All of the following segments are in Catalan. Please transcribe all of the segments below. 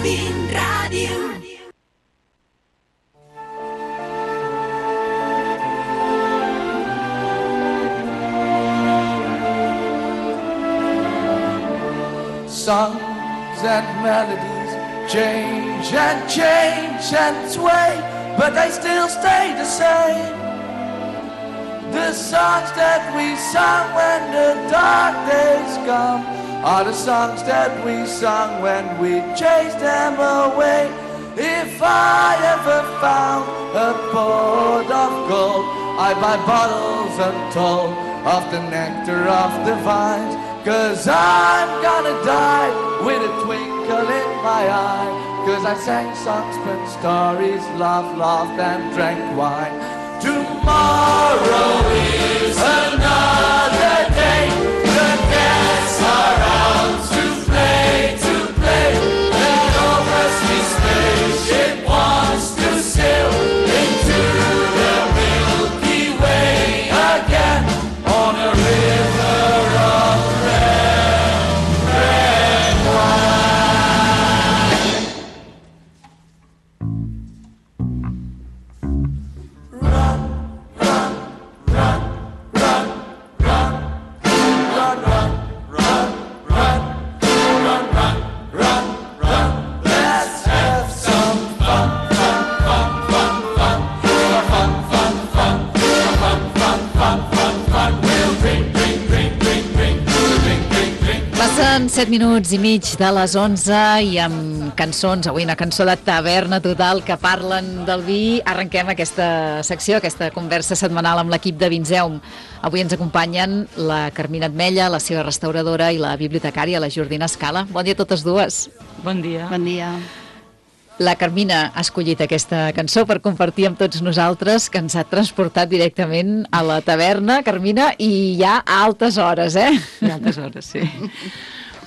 Fin Ràdio. Songs and melodies change and sway, but they still stay the same. The songs that we sung when the dark days come are the songs that we sung when we chased them away. If I ever found a pot of gold, I'd buy bottles untold of the nectar of the vines. 'Cause I'm gonna die with a twinkle in my eye. 'Cause I sang songs, spun stories, laughed and drank wine. Tomorrow is another day. The guests are out to play. That old rusty spaceship wants to sail into the Milky Way again on a river of red wine. Run, run, run, run, run, run, run, run, run, run, run, run, run. Let's have some fun, fun, fun, fun, fun, fun, fun, fun, fun, fun, fun, fun, fun. We'll drink, drink, drink, drink, drink, drink, drink, drink. Passen 7 minuts i mig de les 11 i amb cançons, avui una cançó de taverna total que parlen del vi. Arrenquem aquesta secció, aquesta conversa setmanal amb l'equip de Vinzeum. Avui ens acompanyen la Carmina Atmella, la seva restauradora, i la bibliotecària, la Jordina Scala. Bon dia a totes dues. Bon dia. Bon dia. La Carmina ha escollit aquesta cançó per compartir amb tots nosaltres, que ens ha transportat directament a la taverna, Carmina, i ja a altes hores, eh? A altes hores, sí.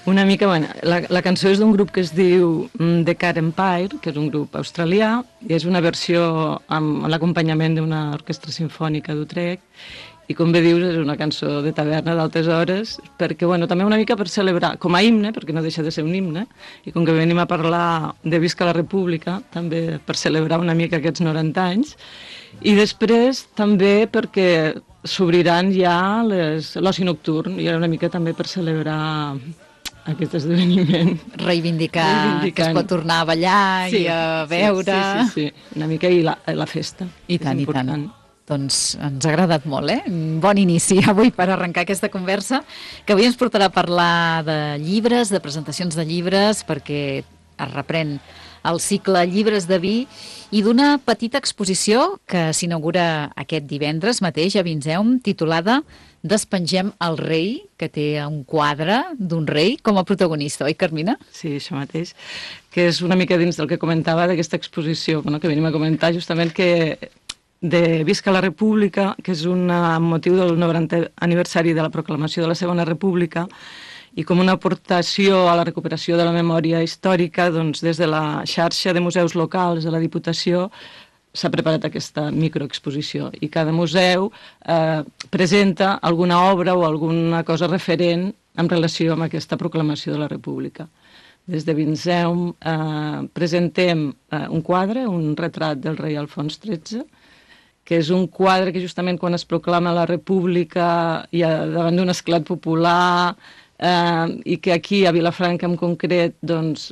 Una mica, bueno, la cançó és d'un grup que es diu The Cat Empire, que és un grup australià, i és una versió amb l'acompanyament d'una orquestra sinfònica d'Utrecht, i com bé dius, és una cançó de taverna d'altes hores, perquè, bueno, també una mica per celebrar, com a himne, perquè no deixa de ser un himne, i com que venim a parlar de Visca la República, també per celebrar una mica aquests 90 anys, i després també perquè s'obriran ja l'oci nocturn, i era una mica també per celebrar aquest esdeveniment. Reivindicar que es pot tornar a ballar i a veure... Sí, una mica, i la festa. I tant, i tant. Doncs ens ha agradat molt, eh? Bon inici avui per arrencar aquesta conversa, que avui ens portarà a parlar de llibres, de presentacions de llibres, perquè es reprèn el cicle Llibres de vi, i d'una petita exposició que s'inaugura aquest divendres mateix a Vinzeum, titulada Despengem el rei, que té un quadre d'un rei com a protagonista, oi, Carmina? Sí, això mateix, que és una mica dins del que comentava d'aquesta exposició, bueno, que venim a comentar justament que de Visca la República, que és un motiu del 90è aniversari de la proclamació de la Segona República, i com una aportació a la recuperació de la memòria històrica, doncs des de la xarxa de museus locals de la Diputació s'ha preparat aquesta microexposició, i cada museu presenta alguna obra o alguna cosa referent en relació amb aquesta proclamació de la República. Des de Vinzeum presentem un quadre, un retrat del rei Alfons XIII, que és un quadre que justament quan es proclama la República i davant d'un esclat popular, i que aquí a Vilafranca en concret doncs,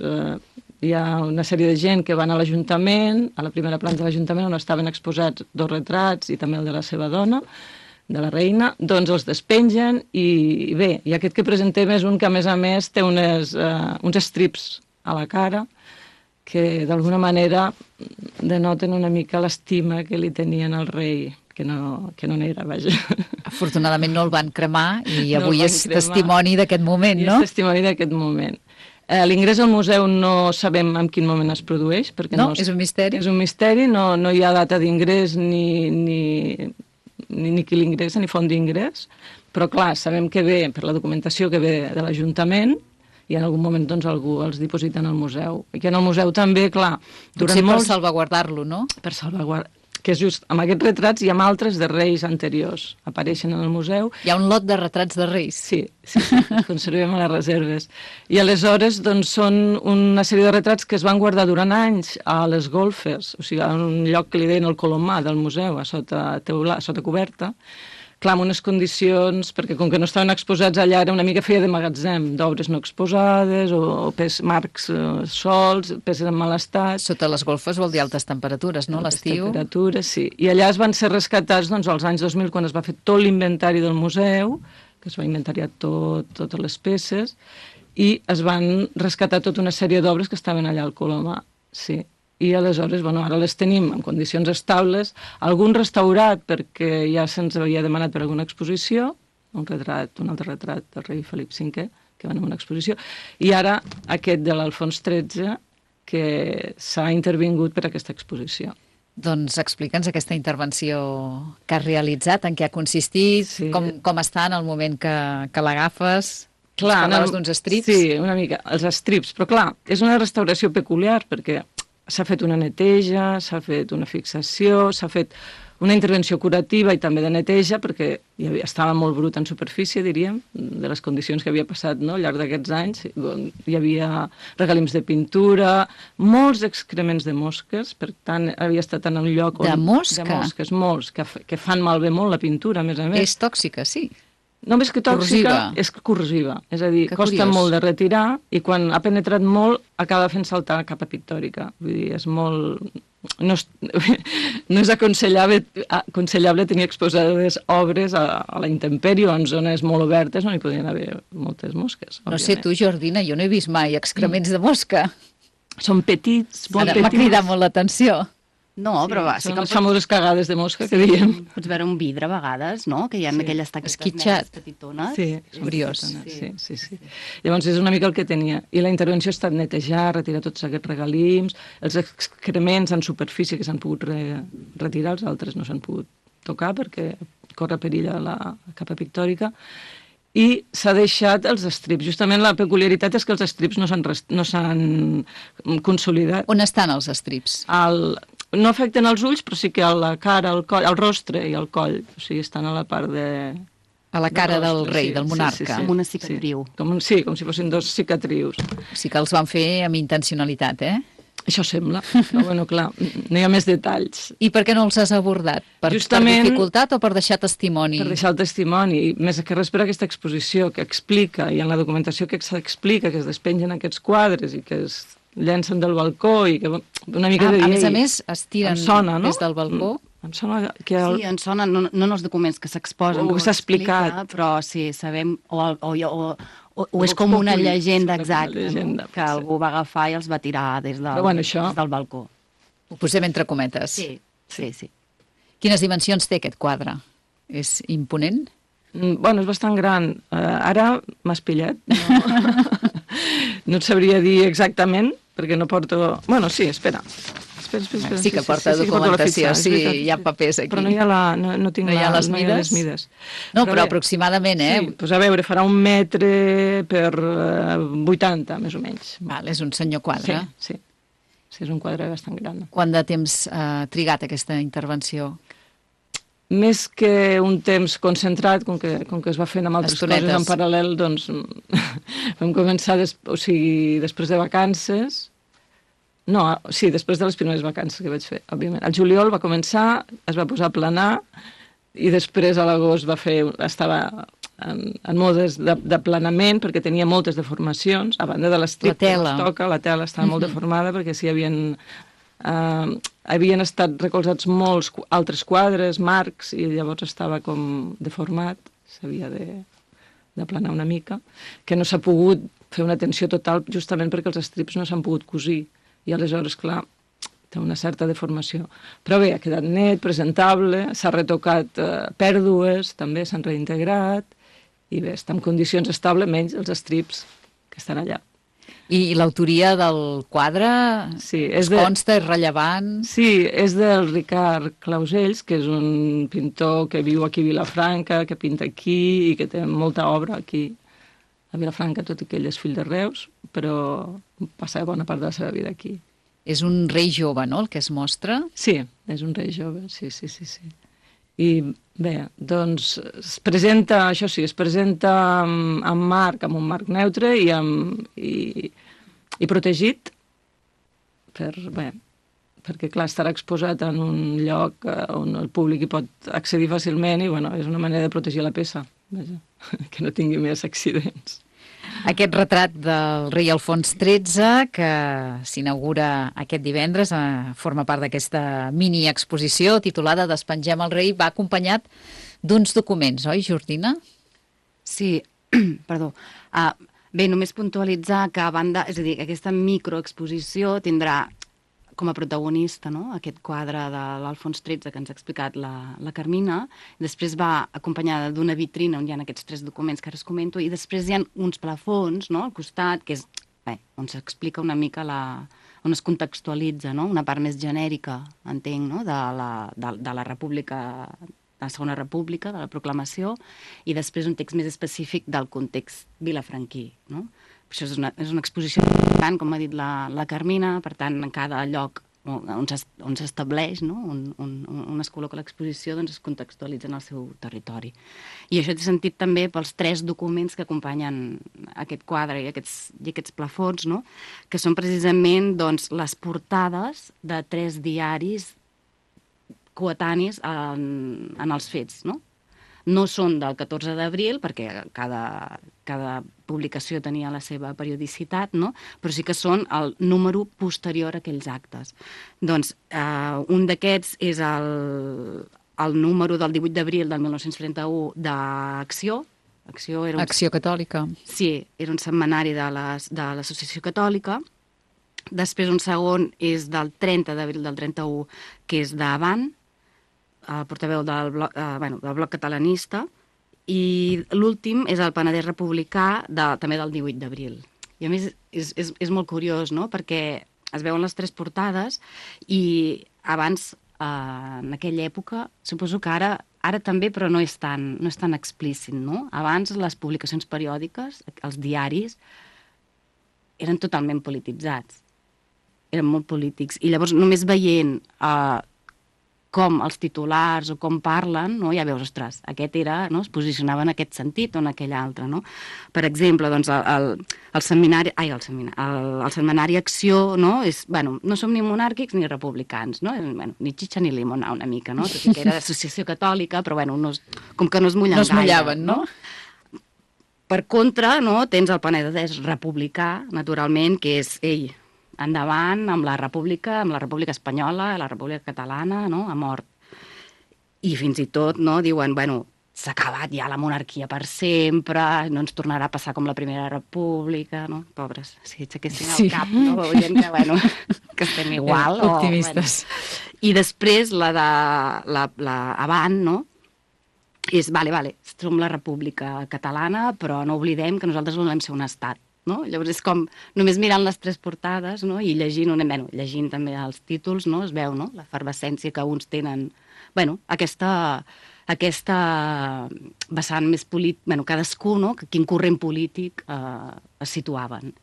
hi ha una sèrie de gent que van a l'Ajuntament, a la primera planta de l'Ajuntament, on estaven exposats 2 retrats i també el de la seva dona, de la reina, doncs els despengen, i bé, i aquest que presentem és un que a més té uns strips a la cara que d'alguna manera denoten una mica l'estima que li tenien al rei, que no n'era, vaja. Afortunadament no el van cremar, i avui és testimoni d'aquest moment, no? És testimoni d'aquest moment. L'ingrés al museu no sabem en quin moment es produeix, perquè no, és un misteri. És un misteri, no hi ha data d'ingrés ni qui l'ingressa, ni font d'ingrés, però clar, sabem que ve per la documentació que ve de l'Ajuntament, i en algun moment doncs algú els dipositen al museu. I que en el museu també, clar, potser per salvaguardar-lo, no? Per salvaguardar. que és just amb aquests retrats i amb altres de reis anteriors. Apareixen en el museu. Hi ha un lot de retrats de reis. Sí, els conservem a les reserves. I aleshores doncs, són una sèrie de retrats que es van guardar durant anys a les golfes, o sigui, a un lloc que li deien el Colomar del museu, a sota coberta, clar, en unes condicions, perquè com que no estaven exposats allà, era una mica feia de magatzem, d'obres no exposades, o marcs sols, peces en mal estat. Sota les golfes vol dir altes temperatures, no? L'estiu. Temperatures, sí. I allà es van ser rescatats doncs, als anys 2000, quan es va fer tot l'inventari del museu, que es va inventariar totes les peces, i es van rescatar tota una sèrie d'obres que estaven allà al Colomar, sí. I aleshores, bueno, ara les tenim en condicions estables, algun restaurat perquè ja se'ns havia demanat per alguna exposició, un altre retrat del rei Felip V, que va anar a una exposició, i ara aquest de l'Alfons XIII, que s'ha intervingut per aquesta exposició. Doncs explica'ns aquesta intervenció que has realitzat, en què ha consistit, sí. com està en el moment que l'agafes. Clar, parlaves d'uns estrips. Sí, una mica, els estrips, però clar, és una restauració peculiar perquè s'ha fet una neteja, s'ha fet una fixació, s'ha fet una intervenció curativa i també de neteja, perquè estava molt brut en superfície, diríem, de les condicions que havia passat, no?, al llarg d'aquests anys. Hi havia regalims de pintura, molts excrements de mosques, per tant, havia estat en un lloc on... De mosca? De mosques, molts, que fan malbé molt la pintura, a més a més. És tòxica, sí. No més que tòxica, és corrosiva. És a dir, costa molt de retirar i quan ha penetrat molt acaba fent saltar la capa pictòrica. Vull dir, és molt... No és aconsellable tenir exposades obres a la intempèrie o en zones molt obertes on hi podien haver moltes mosques. No sé tu, Jordina, jo no he vist mai excrements de mosca. Són petits, molt petits. M'ha cridat molt l'atenció. No, però va, sí són les famoses cagades de mosca que diem. Pots veure un vidre a vegades, no?, que hi ha aquelles taquetes esquitxat, petitones. Sí, briós. Sí. Llavors és una mica el que tenia. I la intervenció ha estat netejar, retirar tots aquests regalims, els excrements en superfície que s'han pogut retirar, els altres no s'han pogut tocar perquè corre perill a la capa pictòrica. I s'ha deixat els estrips. Justament la peculiaritat és que els estrips no s'han consolidat. On estan els estrips? No afecten els ulls, però sí que a la cara, al coll, al rostre i al coll. O sigui, estan a la part de... A la cara del rei, del monarca. Com una cicatriu. Sí, com si fossin dos cicatrius. Sí que els van fer amb intencionalitat, Això sembla, però bueno, clar, no hi ha més detalls. I per què no els has abordat? Per dificultat o per deixar testimoni? Per deixar el testimoni, i més que res per aquesta exposició que explica, i en la documentació que s'explica, que es despengen aquests quadres i que es llencen del balcó i que una mica de llei. A més es tiren des del balcó. Em sona que... Sí, em sona, no en els documents que s'exposen, o que s'ha explicat. Però sí, sabem, o és com una llegenda exacta, que algú va agafar i els va tirar des del balcó. Ho posem entre cometes. Sí. Quines dimensions té aquest quadre? És imponent? Bueno, és bastant gran. Ara m'has pillat. No et sabria dir exactament, perquè no porto... Bueno, sí, espera. Sí que porta documentació, sí, hi ha papers aquí. Però no hi ha no tinc les mides. No, però aproximadament, Sí, doncs a veure, farà 1 metre per 80, més o menys. Val, és un senyor quadre. Sí, és un quadre bastant gran. Quant de temps ha trigat aquesta intervenció? Més que un temps concentrat, com que es va fent amb altres coses en paral·lel, doncs vam començar després de vacances. No, sí, després de les primeres vacances que vaig fer, òbviament. Al juliol va començar, es va posar a planar, i després a l'agost estava en modes d'aplanament, perquè tenia moltes deformacions, a banda de l'estrip que es toca, la tela estava molt deformada, perquè s'hi havien estat recolzats molts altres quadres, marcs, i llavors estava com deformat, s'havia d'aplanar una mica, que no s'ha pogut fer una tensió total justament perquè els estrips no s'han pogut cosir. I aleshores, clar, té una certa deformació. Però bé, ha quedat net, presentable, s'ha retocat pèrdues, també s'han reintegrat, i bé, està en condicions estables, menys els estrips que estan allà. I l'autoria del quadre consta, és rellevant? Sí, és del Ricard Clausells, que és un pintor que viu aquí a Vilafranca, que pinta aquí i que té molta obra aquí a Vilafranca, tot i que ell és fill de Reus, però passa bona part de la seva vida aquí. És un rei jove, no?, el que es mostra? Sí, És un rei jove, sí. I bé, doncs es presenta, això sí, es presenta amb un marc neutre i protegit perquè clar, estarà exposat en un lloc on el públic hi pot accedir fàcilment i bueno, és una manera de protegir la peça, vaja, que no tingui més accidents. Aquest retrat del rei Alfons XIII, que s'inaugura aquest divendres, forma part d'aquesta mini-exposició titulada Despengem el rei, va acompanyat d'uns documents, oi, Jordina? Sí, perdó. Bé, només puntualitzar que a banda, és a dir, aquesta microexposició tindrà com a protagonista, no?, aquest quadre de l'Alfons XIII que ens ha explicat la Carmina, després va acompanyada d'una vitrina on hi ha aquests 3 documents que ara us comento, i després hi ha uns plafons, no?, al costat, que és on s'explica una mica on es contextualitza, no?, una part més genèrica, entenc, no?, de la República, de la Segona República, de la proclamació, i després un text més específic del context vilafranquí, no? Això és una exposició important, com ha dit la Carmina, per tant, en cada lloc on s'estableix, no?, on es col·loca l'exposició, doncs es contextualitza en el seu territori. I això té sentit també pels 3 documents que acompanyen aquest quadre i aquests plafons, no?, que són precisament doncs, les portades de 3 diaris coetanis en els fets, no? No són del 14 d'abril, perquè cada publicació tenia la seva periodicitat, no? Però sí que són el número posterior a aquells actes. Doncs un d'aquests és el número del 18 d'abril del 1931 d'Acció. Acció Catòlica. Sí, era un setmanari de l'Associació Catòlica. Després un segon és del 30 d'abril del 31, que és d'Avant, el portaveu del bloc catalanista, i l'últim és el Penedès Republicà, també del 18 d'abril. I a més és molt curiós, no?, perquè es veuen les 3 portades i abans, en aquella època, suposo que ara també, però no és tan explícit, no? Abans les publicacions periòdiques, els diaris, eren totalment polititzats, eren molt polítics, i llavors només veient com els titulars o com parlen, no? Ja veus, ostres, aquest era, no?, es posicionava en aquest sentit o en aquell altre, no? Per exemple, doncs, el setmanari Acció, no?, és, bueno, no som ni monàrquics ni republicans, no? Bueno, ni xitxa ni limonar una mica, no? Tot i que era d'associació catòlica, però, bueno, com que no es mullen gaire. No es mullaven, no? Per contra, no?, tens el Penedès republicà, naturalment, que és, endavant amb la República Espanyola, la República Catalana, no?, a mort. I fins i tot, no?, diuen, bueno, s'ha acabat ja la monarquia per sempre, no ens tornarà a passar com la Primera República, no? Pobres, si aixequessin el cap, no?, veurien que, bueno, que estem igual. Optimistes. I després Avant, no?, és, vale, som la República Catalana, però no oblidem que nosaltres volem ser un estat. No? Llavors és com, només mirant les 3 portades, no?, i llegint també els títols, no?, es veu, no?, l'efervescència que uns tenen, bueno, aquesta vessant més polític, cadascú, no?, quin corrent polític es situaven.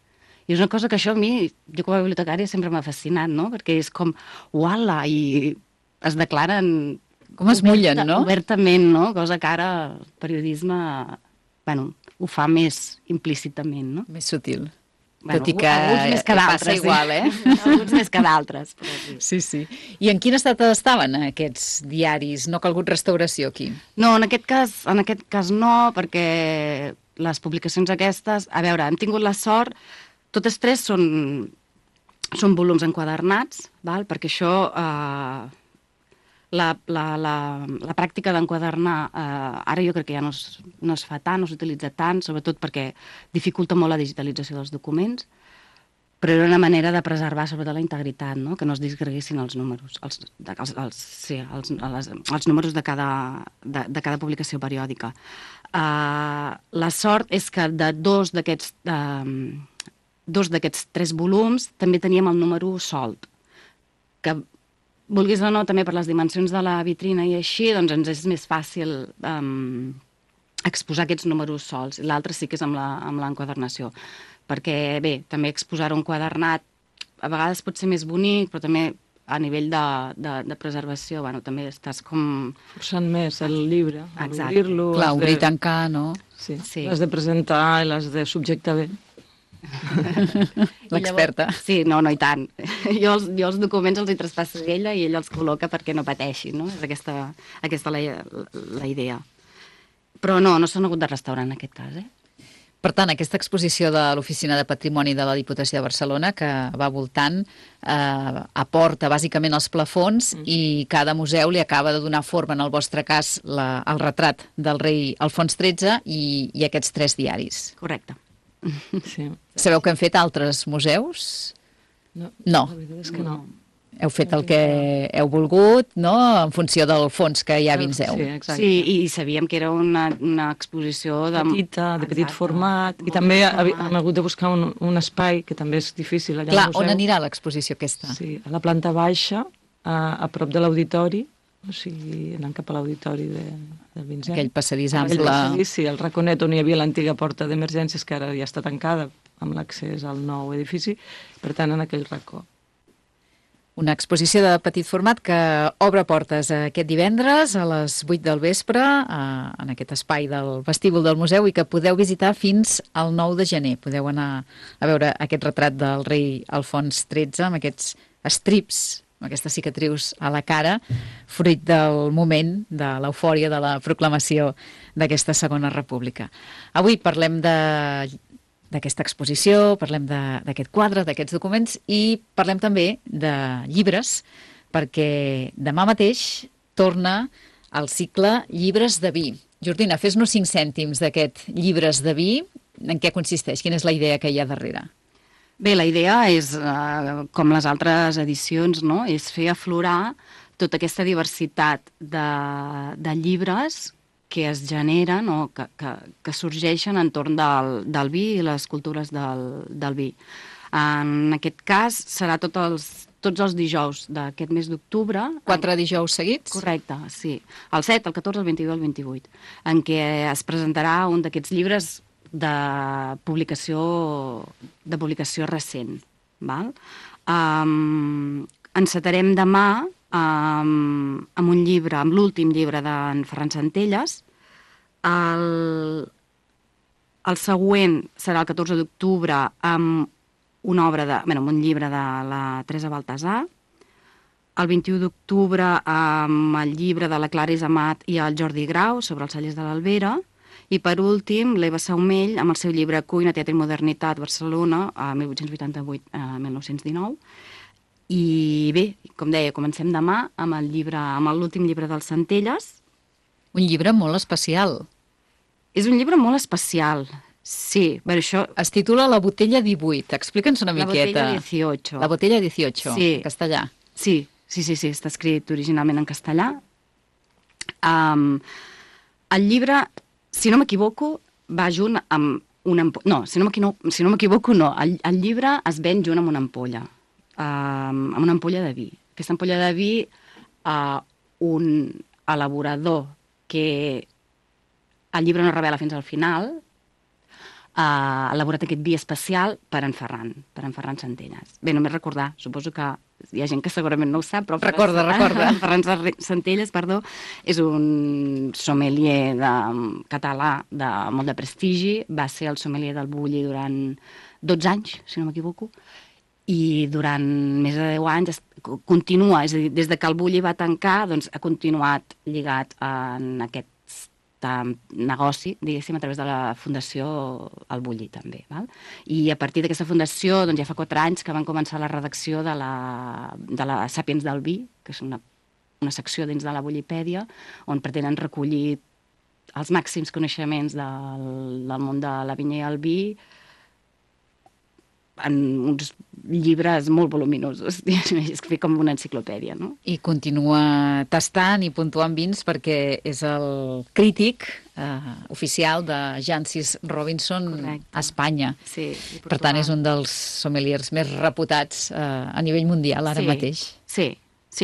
I és una cosa que això a mi, jo com a bibliotecària, sempre m'ha fascinat, no?, perquè és com, uala, i es declaren... Com es mullen, no? Obertament, no?, cosa que ara el periodisme, bueno, ho fa més implícitament, no? Més sutil. Bueno, tot i que més que passa igual, Alguns més que d'altres. Sí. I en quin estat estaven aquests diaris? No ha calgut restauració aquí? No, en aquest cas no, perquè les publicacions aquestes, a veure, hem tingut la sort, totes 3 són volums enquadernats, val? Perquè això... La pràctica d'enquadernar ara jo crec que ja no es fa tant, no s'utilitza tant, sobretot perquè dificulta molt la digitalització dels documents, però era una manera de preservar sobretot la integritat, no?, que no es disgreguessin els números, els números de cada publicació periòdica. La sort és que de dos d'aquests 3 volums també teníem el número solt, que vulguis o no, també per les dimensions de la vitrina i així, doncs ens és més fàcil exposar aquests números sols. L'altre sí que és amb l'enquadernació. Perquè, bé, també exposar un quadernat a vegades pot ser més bonic, però també a nivell de preservació, bueno, també estàs com... Forçant més el llibre, Exacte. obrir-lo... Clar, obrir i tancar, no? Sí, Sí. l'has de presentar i l'has de subjectar bé. L'experta. Sí, no, i tant. Jo els documents els hi traspasso a ella i ella els col·loca perquè no pateixi, no? És aquesta la idea. Però no s'han hagut de restaurar en aquest cas, Per tant, aquesta exposició de l'Oficina de Patrimoni de la Diputació de Barcelona, que va voltant, aporta bàsicament els plafons i cada museu li acaba de donar forma, en el vostre cas, el retrat del rei Alfons XIII i aquests 3 diaris. Correcte. Sí. Sabeu que han fet altres museus? No. No. La veritat és que no. Heu fet el que heu volgut, no?, en funció del fons que ja vinseu. Sí, exacte. Sí, i sabíem que era una exposició de... Petita, de petit Exacte. format, i Molt també petit format. hem hagut de buscar un espai, que també és difícil allà Clar, al museu. on anirà l'exposició aquesta? Sí, a la planta baixa, a prop de l'auditori, o sigui, anant cap a l'auditori de Vincennes. Aquell passadís Aquell ample. passadís, sí, el raconet on hi havia l'antiga porta d'emergències, que ara ja està tancada amb l'accés al nou edifici, per tant, en aquell racó. Una exposició de petit format que obre portes aquest divendres a les 8 del vespre en aquest espai del vestíbul del museu i que podeu visitar fins al 9 de gener. Podeu anar a veure aquest retrat del rei Alfons XIII amb aquests estrips, amb aquestes cicatrius a la cara, fruit del moment, de l'eufòria de la proclamació d'aquesta Segona República. Avui parlem d'aquesta exposició, parlem d'aquest quadre, d'aquests documents i parlem també de llibres, perquè demà mateix torna el cicle Llibres de vi. Jordina, fes-nos 5 cèntims d'aquest Llibres de vi. En què consisteix? Quina és la idea que hi ha darrere? Bé, la idea és, com les altres edicions, no?, és fer aflorar tota aquesta diversitat de llibres que es generen o que sorgeixen entorn del vi i les cultures del vi. En aquest cas serà tots els dijous d'aquest mes d'octubre. 4 dijous seguits? Correcte, sí. El 7, el 14, el 22 i el 28, en què es presentarà un d'aquests llibres de publicació recent. Val? Encetarem demà amb un llibre, amb l'últim llibre d'en Ferran Centelles. El següent serà el 14 d'octubre amb una obra amb un llibre de la Teresa Baltasar. El 21 d'octubre amb el llibre de la Clara Isamat i el Jordi Grau sobre els cellers de l'Albera. I per últim, l'Eva Saumell amb el seu llibre Cuina, Teatre i Modernitat, Barcelona, 1888-1919. I bé, com deia, comencem demà amb l'últim llibre dels Centelles. Un llibre molt especial. És un llibre molt especial, sí. Per això... Es titula La botella 18. Explica'ns una miqueta. La botella 18. La botella 18, sí. En castellà. Sí, està escrit originalment en castellà. El llibre, si no m'equivoco, va junt amb una ampolla. No, si no m'equivoco, no. El llibre es ven junt amb una ampolla. Amb una ampolla de vi. Aquesta ampolla de vi, un elaborador que el llibre no revela fins al final, ha elaborat aquest vi especial per en Ferran Centelles. Bé, només recordar, suposo que hi ha gent que segurament no ho sap, però Recorda. Ferran Centelles, és un sommelier català de molt de prestigi, va ser el sommelier del Bulli durant 12 anys, si no m'equivoco, i durant més de 10 anys continua, és a dir, des que el Bulli va tancar, doncs ha continuat lligat en aquest negoci, diguéssim, a través de la Fundació El Bulli, també. Val? I a partir d'aquesta fundació, doncs ja fa 4 anys que van començar la redacció de la Sàpiens del Vi, que és una secció dins de la Bullipèdia, on pretenen recollir els màxims coneixements del món de la vinya i el vi en uns llibres molt voluminosos, és com una enciclopèdia, no? I continua tastant i puntuant vins perquè és el crític oficial de Jancis Robinson. Correcte. A Espanya. Sí, Per tant, és un dels sommeliers més reputats a nivell mundial ara mateix. Sí,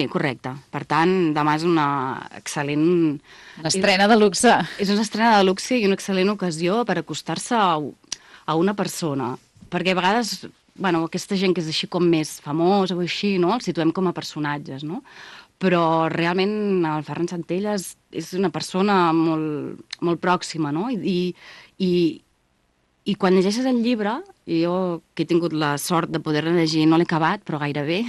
correcte. Per tant, demà és una excel·lent... Una estrena de luxe. És una estrena de luxe i una excel·lent ocasió per acostar-se a una persona. Perquè a vegades bueno, aquesta gent que és així com més famosa o així, no? Els situem com a personatges, no? Però realment el Ferran Centelles és una persona molt pròxima, no? I quan llegeixes el llibre, i jo que he tingut la sort de poder-lo llegir, no l'he acabat, però gairebé,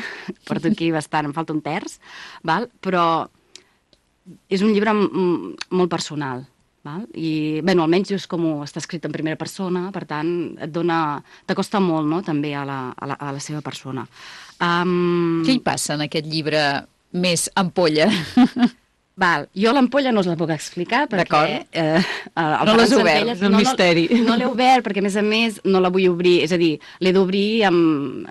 porto aquí bastant, em falta un terç, val? Però és un llibre molt personal, val? I, bé, almenys és com està escrit en primera persona, per tant, t'acosta molt, no?, també a la seva persona. Què hi passa en aquest llibre més ampolla? Val, jo l'ampolla no us la puc explicar perquè... No l'has obert, és un misteri. No l'he obert perquè, a més, no la vull obrir, és a dir, l'he d'obrir amb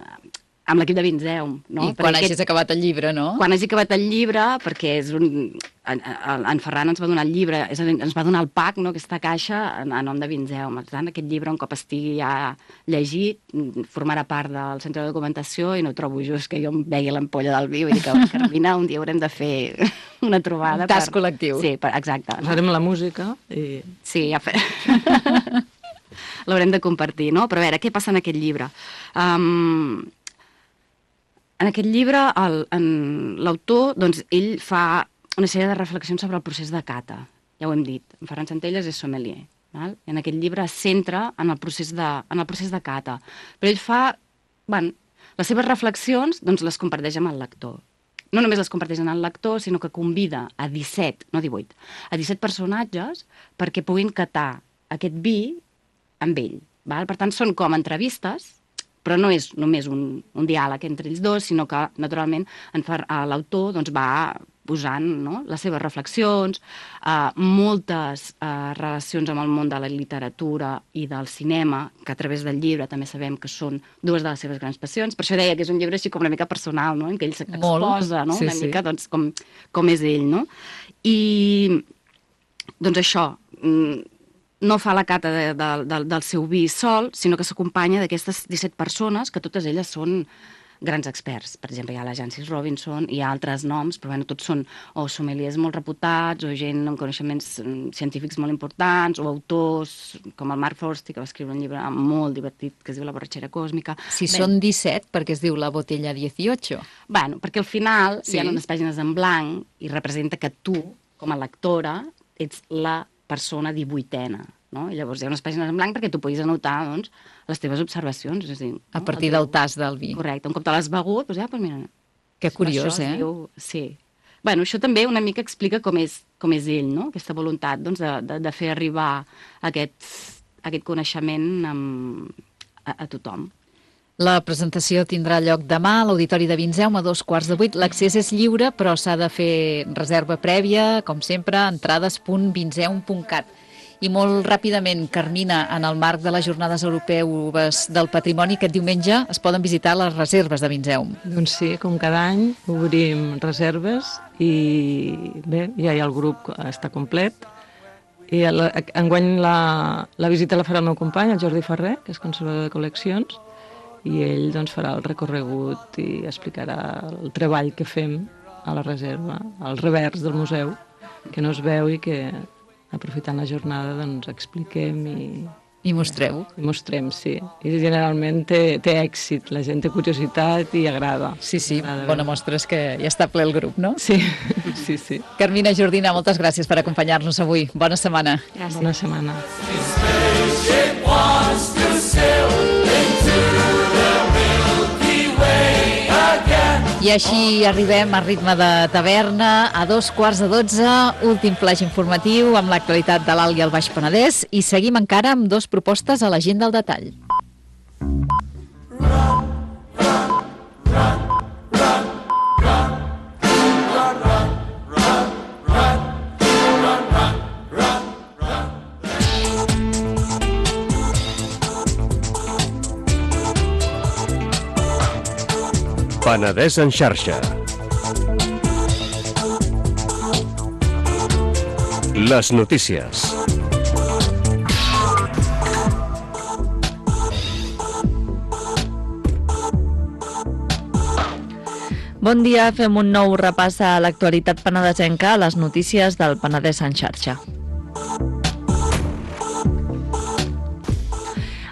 l'equip de Vinzeum, no? I quan hagis acabat el llibre, no? Quan hagi acabat el llibre, perquè en Ferran ens va donar el llibre, és a dir, ens va donar el pack, no?, aquesta caixa, a nom de Vinzeum. Per tant, aquest llibre, un cop estigui ja llegit, formarà part del centre de documentació i no trobo just que jo em vegi l'ampolla del vi. Vull dir que, Carmina, un dia haurem de fer una trobada. Un tas col·lectiu. Sí, exacte. Posarem la música i... Sí, ja l'haurem de compartir, no? Però a veure, què passa en aquest llibre? En aquest llibre, l'autor, doncs, ell fa una sèrie de reflexions sobre el procés de cata. Ja ho hem dit, en Ferran Centelles és sommelier. Val? I en aquest llibre es centra en el procés de cata. Però ell fa... Bueno, les seves reflexions doncs, les comparteix amb el lector. No només les comparteix amb el lector, sinó que convida a 17, no 18, a 17 personatges perquè puguin catar aquest vi amb ell. Val? Per tant, són com entrevistes, però no és només un diàleg entre ells dos, sinó que, naturalment, l'autor doncs, va posant, no?, les seves reflexions, moltes relacions amb el món de la literatura i del cinema, que a través del llibre també sabem que són dues de les seves grans passions. Per això deia que és un llibre així com una mica personal, no?, en què ell s'exposa, no?, una mica doncs, com és ell, no? I, doncs això, no fa la cata del seu vi sol, sinó que s'acompanya d'aquestes 17 persones, que totes elles són grans experts. Per exemple, hi ha la Jancis Robinson, hi ha altres noms, però bueno, tots són o sommeliers molt reputats, o gent amb coneixements científics molt importants, o autors com el Mark Forsti, que va escriure un llibre molt divertit que es diu La borratxera còsmica. Si són 17, perquè es diu La botella 18. Bueno, perquè al final hi ha unes pàgines en blanc i representa que tu, com a lectora, ets la persona 18a, no? I llavors hi ha unes pàgines en blanc perquè tu puguis anotar, doncs, les teves observacions. És a dir, a partir del tas del vi. Correcte. Un cop te l'has begut, doncs mira... Que curiós, Sí. Bueno, això també una mica explica com és ell, no? Aquesta voluntat, doncs, de fer arribar aquest coneixement a tothom. La presentació tindrà lloc demà a l'Auditori de Vinzeum a 7:15. L'accés és lliure, però s'ha de fer reserva prèvia, com sempre, entrades.vinzeum.cat. I molt ràpidament, Carmina, en el marc de les Jornades Europeus del Patrimoni, aquest diumenge es poden visitar les reserves de Vinzeum. Doncs sí, com cada any obrim reserves i bé, ja hi ha el grup, està complet. I enguany la visita la farà el meu company, el Jordi Ferrer, que és conservador de col·leccions, i ell doncs, farà el recorregut i explicarà el treball que fem a la reserva, al revers del museu, que no es veu i que, aprofitant la jornada, doncs, expliquem i mostreu. I mostrem, sí. I generalment té èxit, la gent té curiositat i agrada. Sí, bona mostra és que ja està ple el grup, no? Sí, sí. Carmina Jordina, moltes gràcies per acompanyar-nos avui. Bona setmana. Gràcies. Bona setmana. I així arribem a ritme de taverna a 11:15, últim flaix informatiu amb l'actualitat de l'Alt i el Baix Penedès i seguim encara amb 2 propostes a l'agenda al detall. Penedès en xarxa. Les notícies. Bon dia, fem un nou repàs a l'actualitat penedesenca a les notícies del Penedès en xarxa.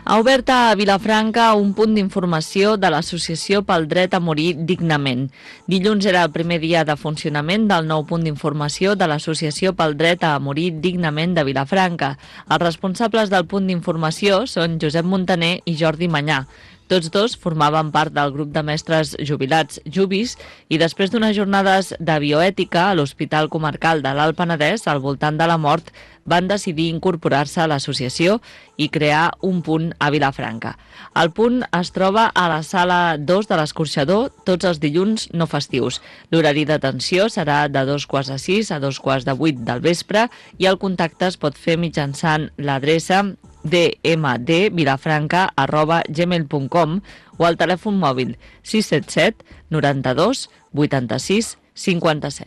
Ha obert a Vilafranca un punt d'informació de l'Associació pel Dret a Morir Dignament. Dilluns era el primer dia de funcionament del nou punt d'informació de l'Associació pel Dret a Morir Dignament de Vilafranca. Els responsables del punt d'informació són Josep Montaner i Jordi Manyà. Tots dos formaven part del grup de mestres jubilats Jubis i després d'unes jornades de bioètica a l'Hospital Comarcal de l'Alt Penedès al voltant de la mort van decidir incorporar-se a l'associació i crear un punt a Vilafranca. El punt es troba a la sala 2 de l'Escorxador tots els dilluns no festius. L'horari d'atenció serà de 2:45 a 2:45 del vespre i el contacte es pot fer mitjançant l'adreça dmdvilafranca@gmail.com o al telèfon mòbil 677 92 86 57.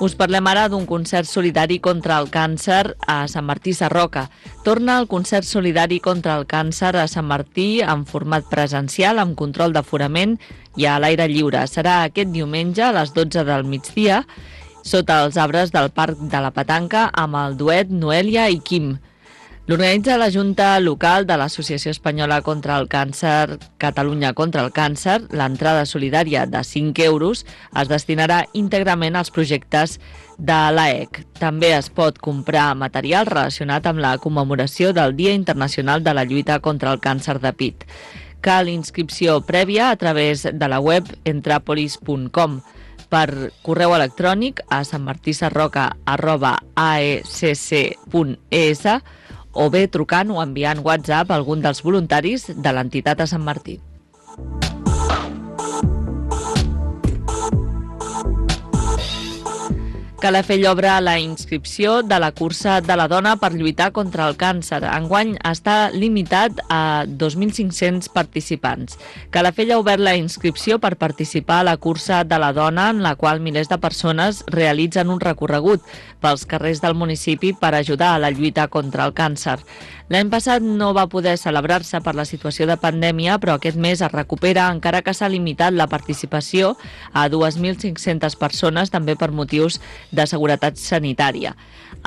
Us parlem ara d'un concert solidari contra el càncer a Sant Martí Sarroca. Torna el concert solidari contra el càncer a Sant Martí en format presencial amb control d'aforament i a l'aire lliure. Serà aquest diumenge a les 12 del migdia sota els arbres del Parc de la Petanca amb el duet Noelia i Quim. L'organitza la Junta Local de l'Associació Espanyola contra el Càncer, Catalunya contra el Càncer. L'entrada solidària de 5 euros es destinarà íntegrament als projectes de l'AEC. També es pot comprar material relacionat amb la commemoració del Dia Internacional de la Lluita contra el Càncer de pit. Cal inscripció prèvia a través de la web entrapolis.com. Per correu electrònic a santmartisarroca@aecc.es o bé trucant o enviant WhatsApp a algun dels voluntaris de l'entitat a Sant Martí. Calafell obre la inscripció de la cursa de la dona per lluitar contra el càncer. Enguany està limitat a 2.500 participants. Calafell ha obert la inscripció per participar a la cursa de la dona, en la qual milers de persones realitzen un recorregut pels carrers del municipi per ajudar a la lluita contra el càncer. L'any passat no va poder celebrar-se per la situació de pandèmia, però aquest mes es recupera, encara que s'ha limitat la participació a 2.500 persones, també per motius de seguretat sanitària.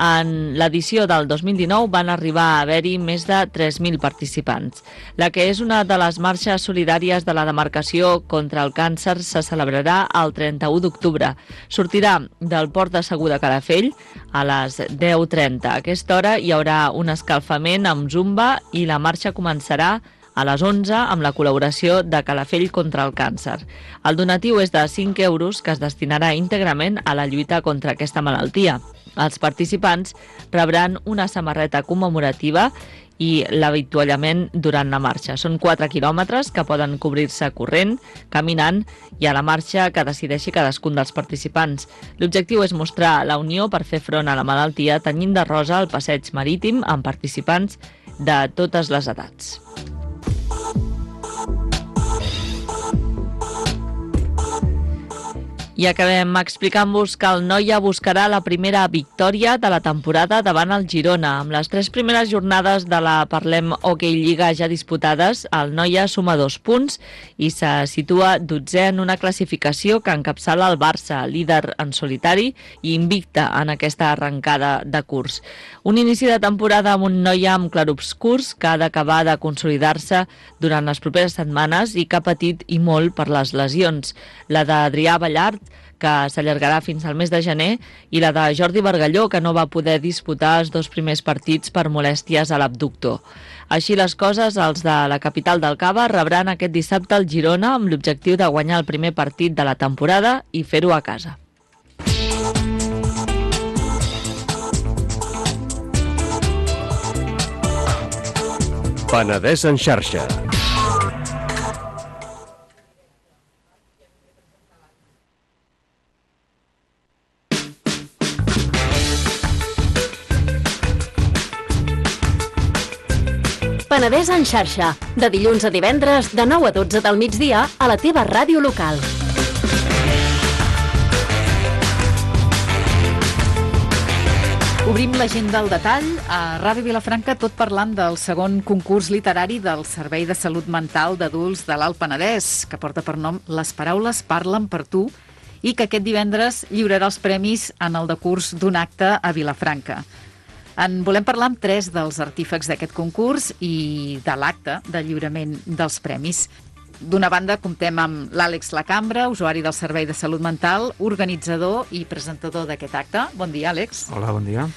En l'edició del 2019 van arribar a haver-hi més de 3.000 participants. La que és una de les marxes solidàries de la demarcació contra el càncer se celebrarà el 31 d'octubre. Sortirà del Port de Segur de Calafell a les 10:30. A aquesta hora hi haurà un escalfament amb zumba i la marxa començarà a les 11 amb la col·laboració de Calafell contra el càncer. El donatiu és de 5 euros que es destinarà íntegrament a la lluita contra aquesta malaltia. Els participants rebran una samarreta commemorativa i l'avituallament durant la marxa. Són 4 quilòmetres que poden cobrir-se corrent, caminant i a la marxa que decideixi cadascun dels participants. L'objectiu és mostrar la unió per fer front a la malaltia tenyint de rosa el passeig marítim amb participants de totes les edats. I acabem explicant-vos que el Noia buscarà la primera victòria de la temporada davant el Girona. Amb les 3 primeres jornades de la Parlem Hockey Lliga ja disputades, el Noia suma 2 punts i se situa 12è en una classificació que encapçala el Barça, líder en solitari i invicte en aquesta arrencada de curs. Un inici de temporada amb un Noia amb clarobscurs que ha d'acabar de consolidar-se durant les properes setmanes i que ha patit i molt per les lesions. La d'Adrià Ballart, que s'allargarà fins al mes de gener, i la de Jordi Bargalló, que no va poder disputar els 2 primers partits per molèsties a l'abductor. Així les coses, els de la capital del Cava rebran aquest dissabte el Girona amb l'objectiu de guanyar el primer partit de la temporada i fer-ho a casa. Penedès en xarxa. Penedès en xarxa, de dilluns a divendres, de 9 a 12 del migdia, a la teva ràdio local. Obrim l'agenda al detall a Ràdio Vilafranca, tot parlant del segon concurs literari del Servei de Salut Mental d'Adults de l'Alt Penedès, que porta per nom Les paraules parlen per tu, i que aquest divendres lliurarà els premis en el decurs d'un acte a Vilafranca. En volem parlar amb 3 dels artífecs d'aquest concurs i de l'acte de lliurament dels premis. D'una banda, comptem amb l'Àlex Lacambra, usuari del Servei de Salut Mental, organitzador i presentador d'aquest acte. Bon dia, Àlex. Hola, bon dia.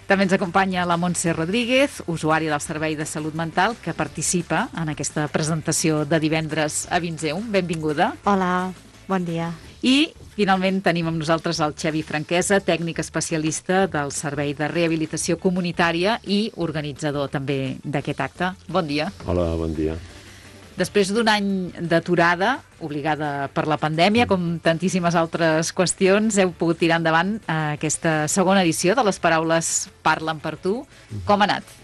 També ens acompanya la Montse Rodríguez, usuària del Servei de Salut Mental, que participa en aquesta presentació de divendres a Vinzeum. Benvinguda. Hola, bon dia. I, finalment, tenim amb nosaltres el Xavi Franquesa, tècnic especialista del Servei de Rehabilitació Comunitària i organitzador també d'aquest acte. Bon dia. Hola, bon dia. Després d'un any d'aturada, obligada per la pandèmia, com tantíssimes altres qüestions, heu pogut tirar endavant aquesta segona edició de Les Paraules Parlen per tu. Com ha anat?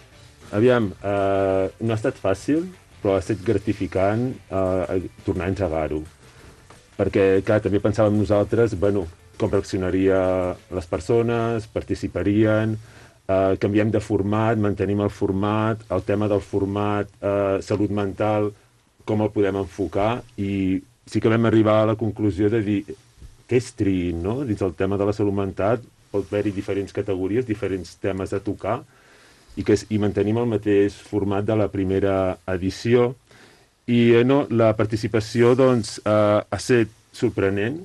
Aviam, no ha estat fàcil, però ha estat gratificant tornar a engegar-ho. Perquè, clar, també pensàvem nosaltres, com reaccionaria les persones, participarien, canviem de format, mantenim el format, el tema del format salut mental, com el podem enfocar, i sí que vam arribar a la conclusió de dir què és triïn, no? Dins el tema de la salut mental pot haver-hi diferents categories, diferents temes a tocar, i mantenim el mateix format de la primera edició. I la participació ha estat sorprenent,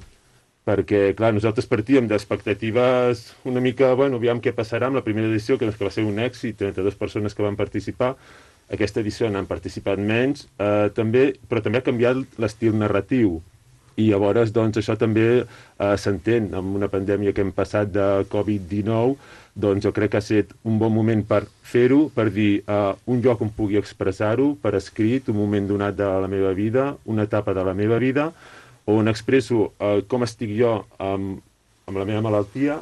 perquè, clar, nosaltres partíem d'expectatives una mica, aviam què passarà amb la primera edició, que va ser un èxit, 32 persones que van participar. Aquesta edició n'han participat menys, però també ha canviat l'estil narratiu. I llavors, això també s'entén. Amb una pandèmia que hem passat de Covid-19, jo crec que ha estat un bon moment per fer-ho, per dir un lloc on pugui expressar-ho, per escrit, un moment donat de la meva vida, una etapa de la meva vida, on expresso com estic jo amb la meva malaltia,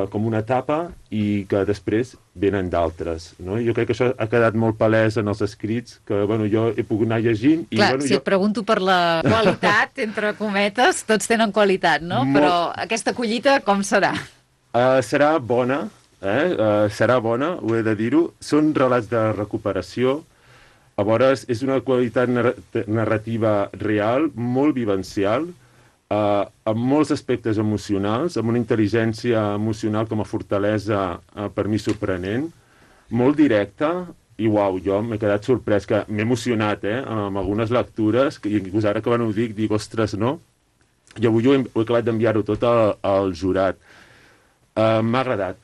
com una etapa, i que després venen d'altres. Jo crec que això ha quedat molt palès en els escrits, que jo he pogut anar llegint. Clar, si et pregunto per la qualitat, entre cometes, tots tenen qualitat, no? Però aquesta collita com serà? Serà bona, serà bona, ho he de dir-ho. Són relats de recuperació. Llavors, és una qualitat narrativa real, molt vivencial, amb molts aspectes emocionals, amb una intel·ligència emocional com a fortalesa per mi sorprenent, molt directa, i jo m'he quedat sorprès, que m'he emocionat amb algunes lectures, i inclús ara que ho dic, ostres, no? I avui he acabat d'enviar-ho tot al jurat. M'ha agradat,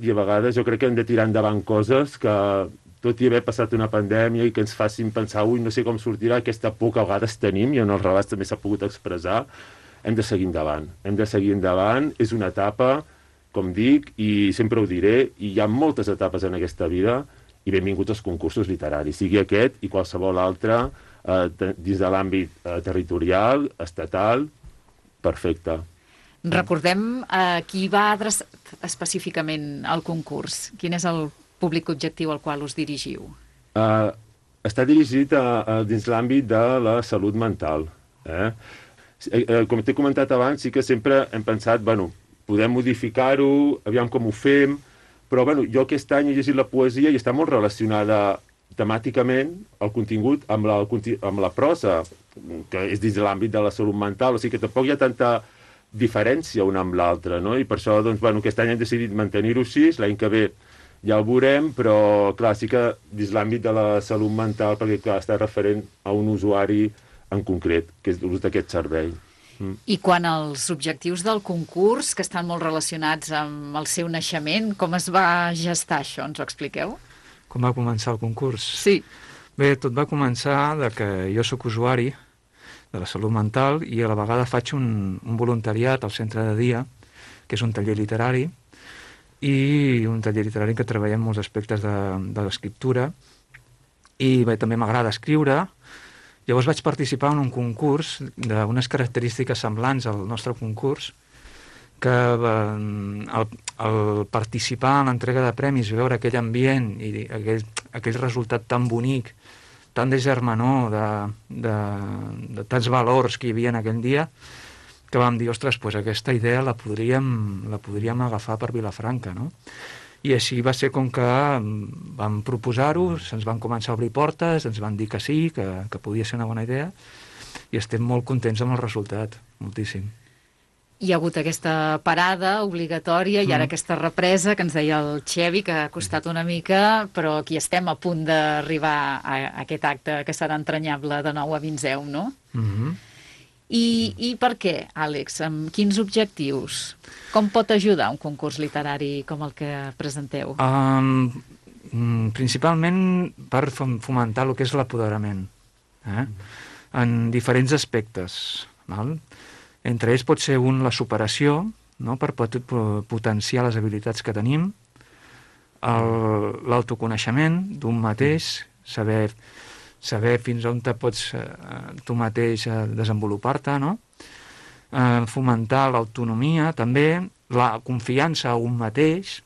i a vegades jo crec que hem de tirar endavant coses que, tot i haver passat una pandèmia i que ens facin pensar, no sé com sortirà, aquesta por que a vegades tenim, i en els relats també s'ha pogut expressar, hem de seguir endavant. Hem de seguir endavant, és una etapa, com dic, i sempre ho diré, i hi ha moltes etapes en aquesta vida, i benvinguts als concursos literaris, sigui aquest i qualsevol altre, dins de l'àmbit territorial, estatal, perfecte. Recordem qui va adreçat específicament al concurs. Quin és el públic objectiu al qual us dirigiu? Està dirigit dins l'àmbit de la salut mental. Com t'he comentat abans, sí que sempre hem pensat, podem modificar-ho, aviam com ho fem, però jo aquest any he llegit la poesia i està molt relacionada temàticament el contingut amb la prosa, que és dins de l'àmbit de la salut mental, o sigui que tampoc hi ha tanta diferència una amb l'altra, no? I per això, aquest any hem decidit mantenir-ho així, l'any que ve ja ho veurem, però, clar, sí que dins l'àmbit de la salut mental, perquè, clar, està referent a un usuari en concret, que és l'ús d'aquest servei. I quan als objectius del concurs, que estan molt relacionats amb el seu naixement, com es va gestar això? Ens ho expliqueu? Com va començar el concurs? Sí. Bé, tot va començar de que jo sóc usuari de la salut mental i a la vegada faig un voluntariat al centre de dia, que és un taller literari, i un taller literari que treballem molts aspectes de l'escriptura, i també m'agrada escriure. Llavors vaig participar en un concurs d'unes característiques semblants al nostre concurs, que al participar en l'entrega de premis, veure aquell ambient i aquell resultat tan bonic, tan de germanor, de tants valors que hi havia en aquell dia, que vam dir, ostres, aquesta idea la podríem agafar per Vilafranca, no? I així va ser com que vam proposar-ho, se'ns van començar a obrir portes, ens van dir que sí, que podia ser una bona idea, i estem molt contents amb el resultat, moltíssim. Hi ha hagut aquesta parada obligatòria i ara aquesta represa que ens deia el Xevi, que ha costat una mica, però aquí estem a punt d'arribar a aquest acte que serà entranyable de nou a Vinzeu, no? I per què, Àlex? Amb quins objectius? Com pot ajudar un concurs literari com el que presenteu? Principalment per fomentar el que és l'apoderament, en diferents aspectes, val? Entre ells pot ser la superació, no? Per potenciar les habilitats que tenim, l'autoconeixement d'un mateix, saber fins on te pots tu mateix desenvolupar-te, no? Fomentar l'autonomia, també, la confiança a un mateix,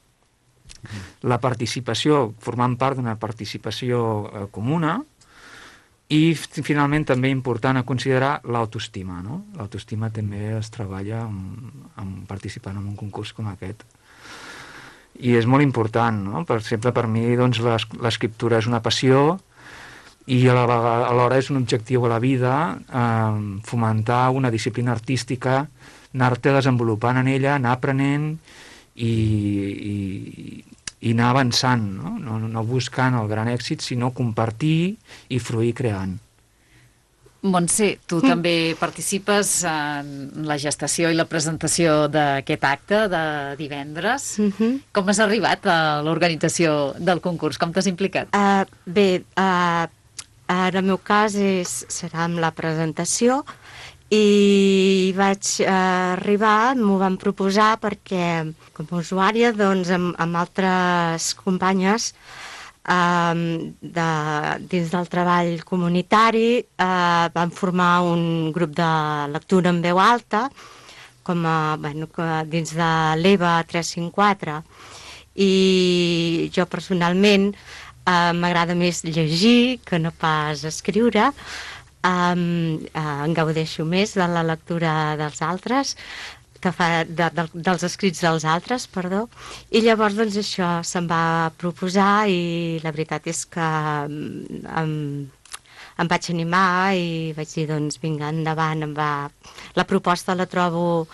la participació, formant part d'una participació comuna, i finalment també important a considerar l'autoestima, no? L'autoestima també es treballa participant en un concurs com aquest. I és molt important, no? Per exemple, per mi doncs, l'escriptura és una passió i alhora és un objectiu a la vida, fomentar una disciplina artística, anar-te desenvolupant en ella, anar aprenent i anar avançant, no buscant el gran èxit, sinó compartir i fruir creant. Montse, tu també participes en la gestació i la presentació d'aquest acte de divendres. Com has arribat a l'organització del concurs? Com t'has implicat? Bé, en el meu cas serà amb la presentació i vaig arribar, m'ho van proposar perquè com a usuària doncs, amb altres companyes dins del treball comunitari vam formar un grup de lectura en veu alta dins de l'EVA 354 i jo personalment m'agrada més llegir que no pas escriure. En gaudeixo més de la lectura dels altres, dels escrits dels altres, perdó, i llavors doncs això se'm va proposar i la veritat és que em vaig animar i vaig dir doncs vinga, endavant, la proposta la trobo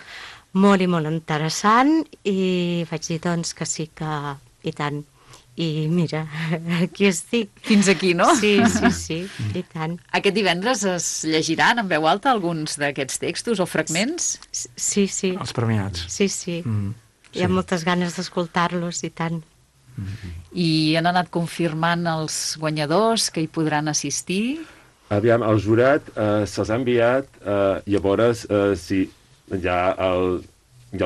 molt i molt interessant i vaig dir doncs que sí que i tant. I mira, aquí estic. Fins aquí, no? Sí, i tant. Aquest divendres es llegiran en veu alta alguns d'aquests textos o fragments? Sí. Els premiats. Sí. Hi ha moltes ganes d'escoltar-los, i tant. I han anat confirmant els guanyadors que hi podran assistir? Aviam, el jurat se'ls ha enviat, llavors, sí, ja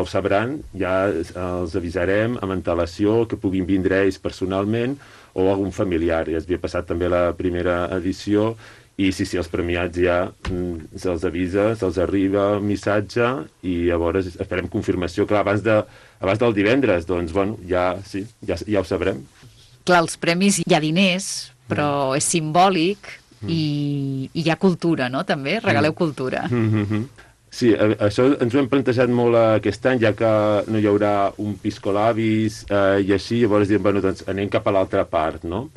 ho sabran, ja els avisarem amb antelació que puguin vindre ells personalment o algun familiar. Ja es havia passat també la primera edició i sí, els premiats ja se'ls avisa, se'ls arriba el missatge i llavors esperem confirmació. Clar, abans del divendres, doncs, bueno, ja ho sabrem. Clar, els premis hi ha diners, però és simbòlic i hi ha cultura, no?, també? Regaleu cultura. Sí, això ens ho hem plantejat molt aquest any, ja que no hi haurà un piscolabis i així, llavors diem, bueno, doncs anem cap a l'altra part, no?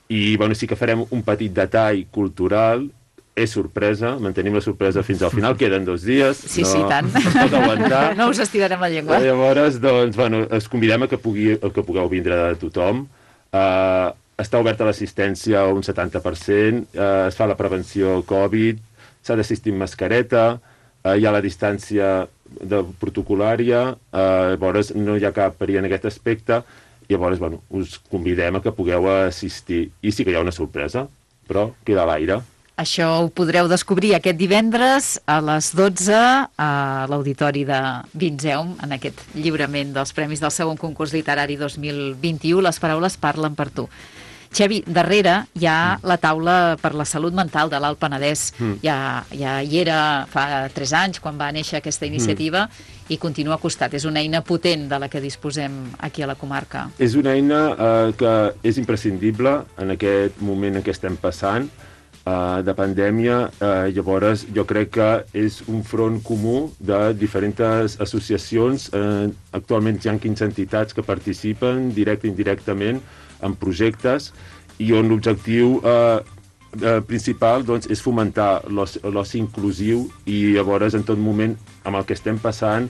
I, bueno, sí que farem un petit detall cultural, és sorpresa, mantenim la sorpresa fins al final, queden 2 dies. Sí, tant. No es pot aguantar. No us estirarem la llengua. Llavors, doncs, bueno, us convidem a que pugueu vindre de tothom. Està oberta l'assistència un 70%, es fa la prevenció Covid, s'ha d'assistir amb mascareta, hi ha la distància protocolària, llavors no hi ha cap perill en aquest aspecte, llavors, bueno, us convidem a que pugueu assistir. I sí que hi ha una sorpresa, però queda a l'aire. Això ho podreu descobrir aquest divendres a les 12 a l'Auditori de Vinzeum, en aquest lliurament dels Premis del segon concurs literari 2021. Les paraules parlen per tu. Xevi, darrere hi ha la taula per la salut mental de l'Alt Penedès. Ja hi era fa 3 anys, quan va néixer aquesta iniciativa, i continua a costat. És una eina potent de la que disposem aquí a la comarca. És una eina que és imprescindible en aquest moment en què estem passant, de pandèmia. Llavors, jo crec que és un front comú de diferents associacions. Actualment hi ha 15 entitats que participen directe i indirectament en projectes i on l'objectiu principal doncs, és fomentar l'oci inclusiu i llavors en tot moment amb el que estem passant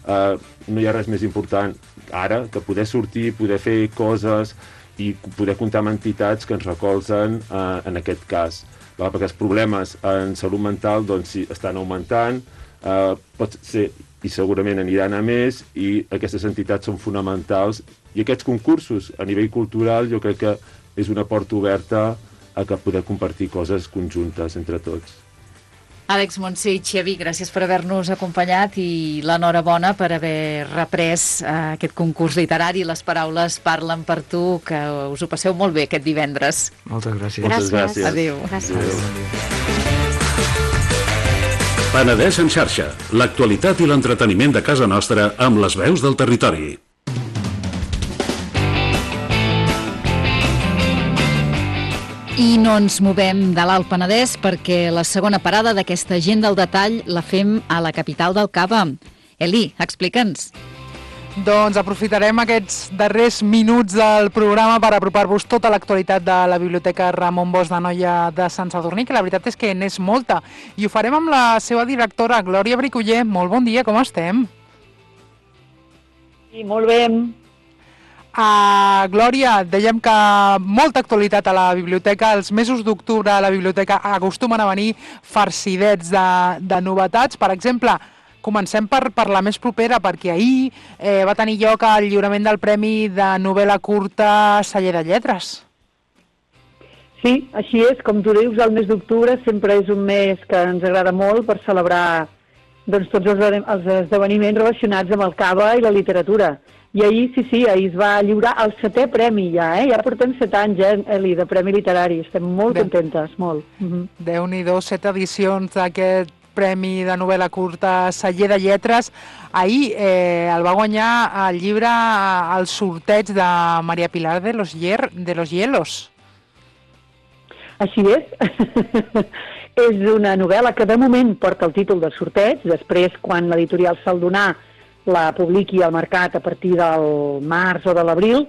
no hi ha res més important ara que poder sortir, poder fer coses i poder comptar amb entitats que ens recolzen en aquest cas. Perquè els problemes en salut mental doncs, sí, estan augmentant, pot ser i segurament aniran a més i aquestes entitats són fonamentals i aquests concursos a nivell cultural jo crec que és una porta oberta a que poder compartir coses conjuntes entre tots. Àlex Montse i Xavi, gràcies per haver-nos acompanyat i l'enhorabona per haver reprès aquest concurs literari. Les paraules parlen per tu, que us ho passeu molt bé aquest divendres. Moltes gràcies. Moltes gràcies. Adéu. Gràcies. Penedès en xarxa, l'actualitat i l'entreteniment de casa nostra amb les veus del territori. I no ens movem de l'Alt Penedès perquè la segona parada d'aquesta agenda al detall la fem a la capital del Cava. Eli, explica'ns. Doncs aprofitarem aquests darrers minuts del programa per apropar-vos tota l'actualitat de la Biblioteca Ramon Bosch de Noia de Sant Sadurní, que la veritat és que n'és molta. I ho farem amb la seva directora, Glòria Bricoller. Molt bon dia, com estem? Sí, molt bé. Glòria, dèiem que molta actualitat a la biblioteca. Els mesos d'octubre a la biblioteca acostumen a venir farcidets de novetats. Per exemple, comencem per la més propera, perquè ahir va tenir lloc el lliurament del Premi de Novel·la Curta Celler de Lletres. Sí, així és. Com tu dius, el mes d'octubre sempre és un mes que ens agrada molt per celebrar doncs, tots els esdeveniments relacionats amb el Cava i la literatura. I ahir, sí, ahir es va lliurar el 7è premi ja, Ja portem 7 anys, Eli, de Premi Literari. Estem molt contentes, molt. Déu-n'hi-do, 7 edicions d'aquest Premi de Novel·la Curta Celler de Lletres. Ahir el va guanyar el llibre al sorteig de Maria Pilar de los Hielos. Així és. És una novel·la que de moment porta el títol del sorteig. Després, quan l'editorial Saldonar la publiqui al mercat a partir del març o de l'abril,